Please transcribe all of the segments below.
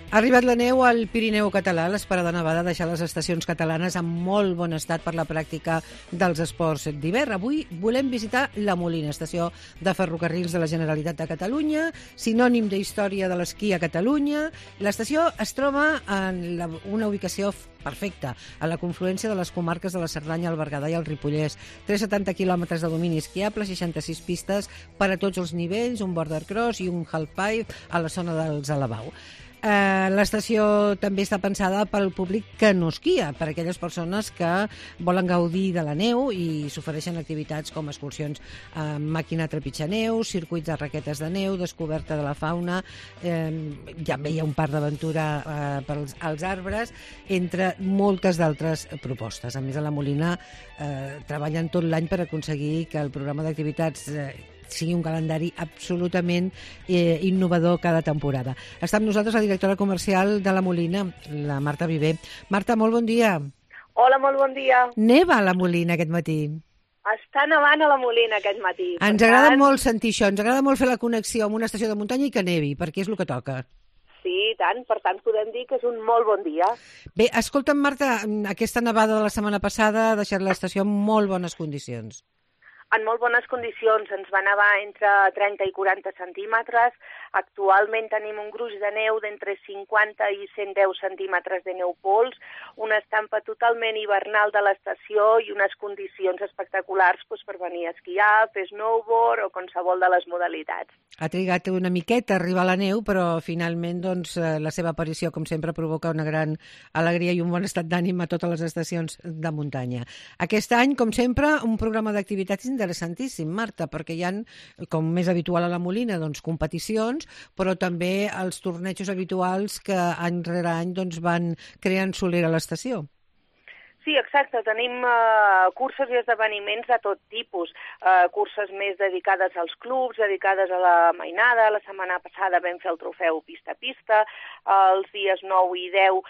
Ha arribat la neu al Pirineu català. L'esperada nevada ha deixat les estacions catalanes en molt bon estat per la pràctica dels esports d'hivern. Avui volem visitar la Molina, estació de ferrocarrils de la Generalitat de Catalunya, sinònim d'història de l'esquí a Catalunya. L'estació es troba en una ubicació perfecta, a la confluència de les comarques de la Cerdanya, el Berguedà i el Ripollès. 370 quilòmetres de domini esquiable, 66 pistes per a tots els nivells, un border cross i un halfpipe a la zona dels Alabau. L'estació també està pensada pel públic que no esquia, per a aquelles persones que volen gaudir de la neu i s'ofereixen activitats com excursions amb màquina trepitjar neu, circuits de raquetes de neu, descoberta de la fauna, també hi ha un parc d'aventura als arbres, entre moltes d'altres propostes. A més, a la Molina treballen tot l'any per aconseguir que el programa d'activitats sigui un calendari absolutament innovador cada temporada. Està amb nosaltres la directora comercial de la Molina, la Marta Viver. Marta, molt bon dia. Hola, molt bon dia. Neva a la Molina aquest matí. Està nevant a la Molina aquest matí. Ens agrada molt sentir això, ens agrada molt fer la connexió amb una estació de muntanya i que nevi, perquè és el que toca. Sí, tant, per tant podem dir que és un molt bon dia. Bé, escolta'm, Marta, aquesta nevada de la setmana passada ha deixat l'estació en molt bones condicions. En molt bones condicions, ens va nevar entre 30 i 40 centímetres. Actualment tenim un gruix de neu d'entre 50 i 110 centímetres de neu pols, una estampa totalment hivernal de l'estació i unes condicions espectaculars per venir a esquiar, fer snowboard o qualsevol de les modalitats. Ha trigat una miqueta a arribar a la neu, però finalment la seva aparició, com sempre, provoca una gran alegria i un bon estat d'ànim a totes les estacions de muntanya. Aquest any, com sempre, un programa d'activitats interessantíssim, Marta, perquè hi ha, com més habitual a la Molina, competicions, però també els tornejos habituals que any rere any van creant solera a l'estació. Sí, exacte. Tenim curses i esdeveniments de tot tipus. Curses més dedicades als clubs, dedicades a la mainada. La setmana passada vam fer el trofeu Pista a Pista. Els dies 9 i 10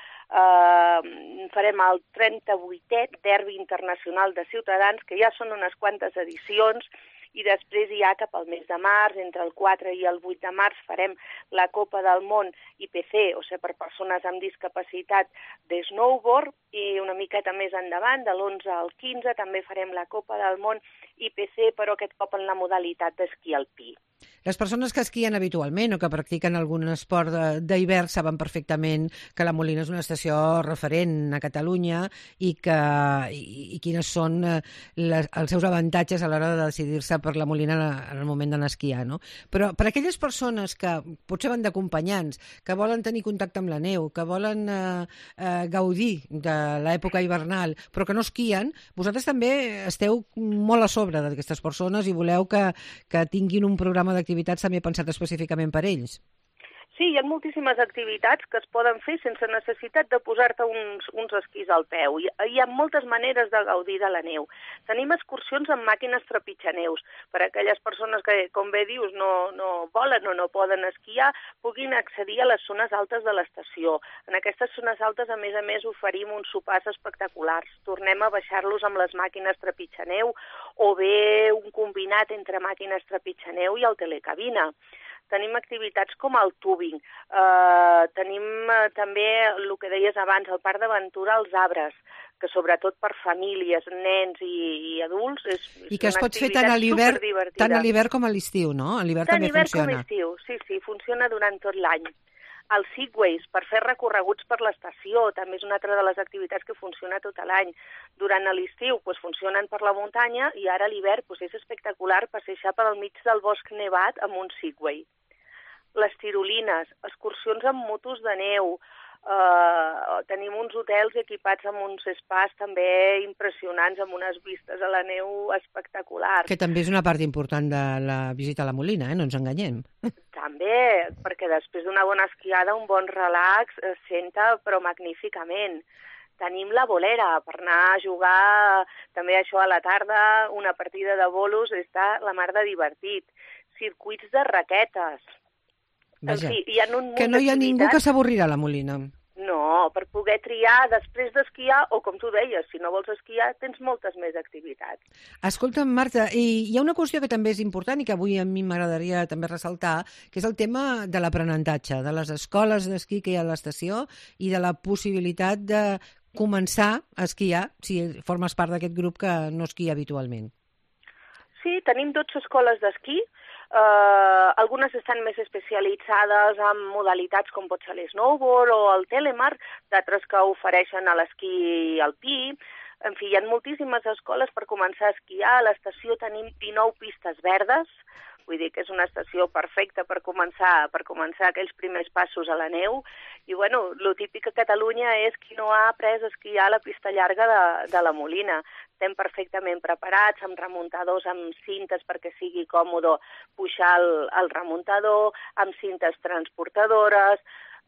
farem el 38è Derbi Internacional de Ciutadans, que ja són unes quantes edicions, i després ja cap al mes de març, entre el 4 i el 8 de març, farem la Copa del Món IPC, o sigui, per persones amb discapacitat de snowboard, i una miqueta més endavant, de l'11 al 15, també farem la Copa del Món IPC, però aquest cop en la modalitat d'esquí alpí. Les persones que esquien habitualment o que practiquen algun esport d'hivern saben perfectament que la Molina és una estació referent a Catalunya i quines són els seus avantatges a l'hora de decidir-se per la Molina en el moment d'anar a esquiar, no? Però per a aquelles persones que potser van d'acompanyants, que volen tenir contacte amb la neu, que volen gaudir de l'època hivernal, però que no esquien, vosaltres també esteu molt a sobre d'aquestes persones i voleu que tinguin un programa d'activitats també pensat específicament per ells. Sí, hi ha moltíssimes activitats que es poden fer sense necessitat de posar-te uns esquís al peu. Hi ha moltes maneres de gaudir de la neu. Tenim excursions amb màquines trepitjaneus. Per a aquelles persones que, com bé dius, no volen o no poden esquiar, puguin accedir a les zones altes de l'estació. En aquestes zones altes, a més, oferim uns sopars espectaculars. Tornem a baixar-los amb les màquines trepitjaneu o bé un combinat entre màquines trepitjaneu i el telecabina. Tenim activitats com el tubing, tenim també el que deies abans, el parc d'aventura als arbres, que sobretot per famílies, nens i adults és i que es pot fer tant a l'hivern com a l'estiu, no? A l'hivern també funciona. Tant a l'hivern com a l'estiu, sí, funciona durant tot l'any. Els segways, per fer recorreguts per l'estació, també és una altra de les activitats que funciona tot l'any. Durant l'estiu funcionen per la muntanya i ara a l'hivern és espectacular passejar pel mig del bosc nevat amb un segway. Les tirolines, excursions amb motos de neu, tenim uns hotels equipats amb uns spas també impressionants, amb unes vistes a la neu espectaculars. Que també és una part important de la visita a la Molina, no ens enganyem. També, perquè després d'una bona esquiada, un bon relax es senta però magníficament. Tenim la bolera per anar a jugar també això a la tarda, una partida de bolos, està la mar de divertit. Circuits de raquetes. Vaja, en fi, hi ha un munt que no hi ha ningú d'activitats. que s'avorrirà a la Molina. No, per poder triar després d'esquiar, o com tu deies, si no vols esquiar, tens moltes més activitats. Escolta'm, Marta, hi ha una qüestió que també és important i que avui a mi m'agradaria també ressaltar, que és el tema de l'aprenentatge, de les escoles d'esquí que hi ha a l'estació i de la possibilitat de començar a esquiar si formes part d'aquest grup que no esquia habitualment. Sí, tenim 12 escoles d'esquí. Algunes estan més especialitzades en modalitats com pot ser l'snowboard o el telemark, d'altres que ofereixen a l'esquí alpí. En fi, hi ha moltíssimes escoles per començar a esquiar. A l'estació tenim 19 pistes verdes, vull dir que és una estació perfecta per començar aquells primers passos a la neu. I bueno, lo típic a Catalunya és qui no ha après a esquiar a la pista llarga de la Molina. Estem perfectament preparats, amb remuntadors, amb cintes perquè sigui còmode pujar el remuntador, amb cintes transportadores.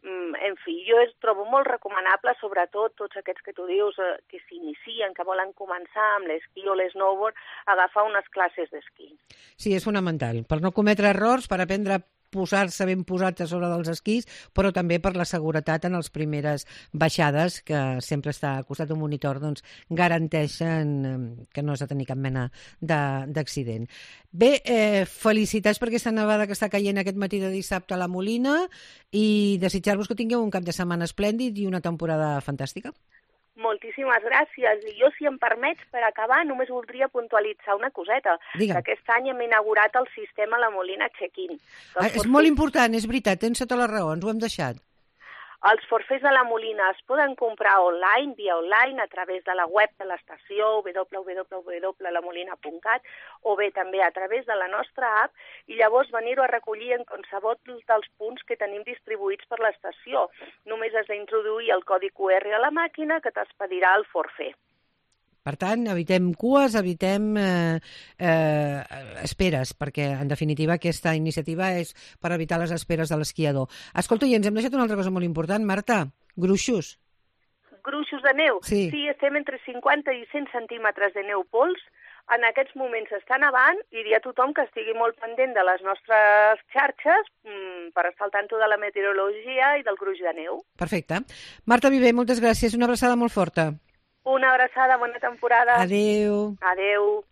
En fi, jo trobo molt recomanable, sobretot tots aquests que tu dius que s'inicien, que volen començar amb l'esquí o l'snowboard, agafar unes classes d'esquí. Sí, és fonamental, per no cometre errors, per aprendre a posar-se ben posats a sobre dels esquís, però també per la seguretat en les primeres baixades, que sempre està al costat d'un monitor, doncs garanteixen que no has de tenir cap mena d'accident. Bé, felicitats per aquesta nevada que està caient aquest matí de dissabte a la Molina i desitjar-vos que tingueu un cap de setmana esplèndid i una temporada fantàstica. Moltíssimes gràcies. I jo, si em permets, per acabar, només voldria puntualitzar una coseta. Digue'm. Que aquest any hem inaugurat el sistema La Molina Check-in. És molt important, és veritat, tens tota la raó, ens ho hem deixat. Els forfers de la Molina es poden comprar online, via online, a través de la web de l'estació, www.lamolina.cat, o bé també a través de la nostra app, i llavors venir-ho a recollir en qualsevol dels punts que tenim distribuïts per l'estació. Només has d'introduir el codi QR a la màquina que t'expedirà el forfer. Per tant, evitem cues, evitem esperes, perquè, en definitiva, aquesta iniciativa és per evitar les esperes de l'esquiador. Escolta, i ens hem deixat una altra cosa molt important, Marta, gruixos. Gruixos de neu? Sí. Sí, estem entre 50 i 100 centímetres de neu pols. En aquests moments està nevant i diria a tothom que estigui molt pendent de les nostres xarxes per estar al tanto de la meteorologia i del gruix de neu. Perfecte. Marta Viver, moltes gràcies. Una abraçada molt forta. Una abraçada, bona temporada. Adéu. Adéu.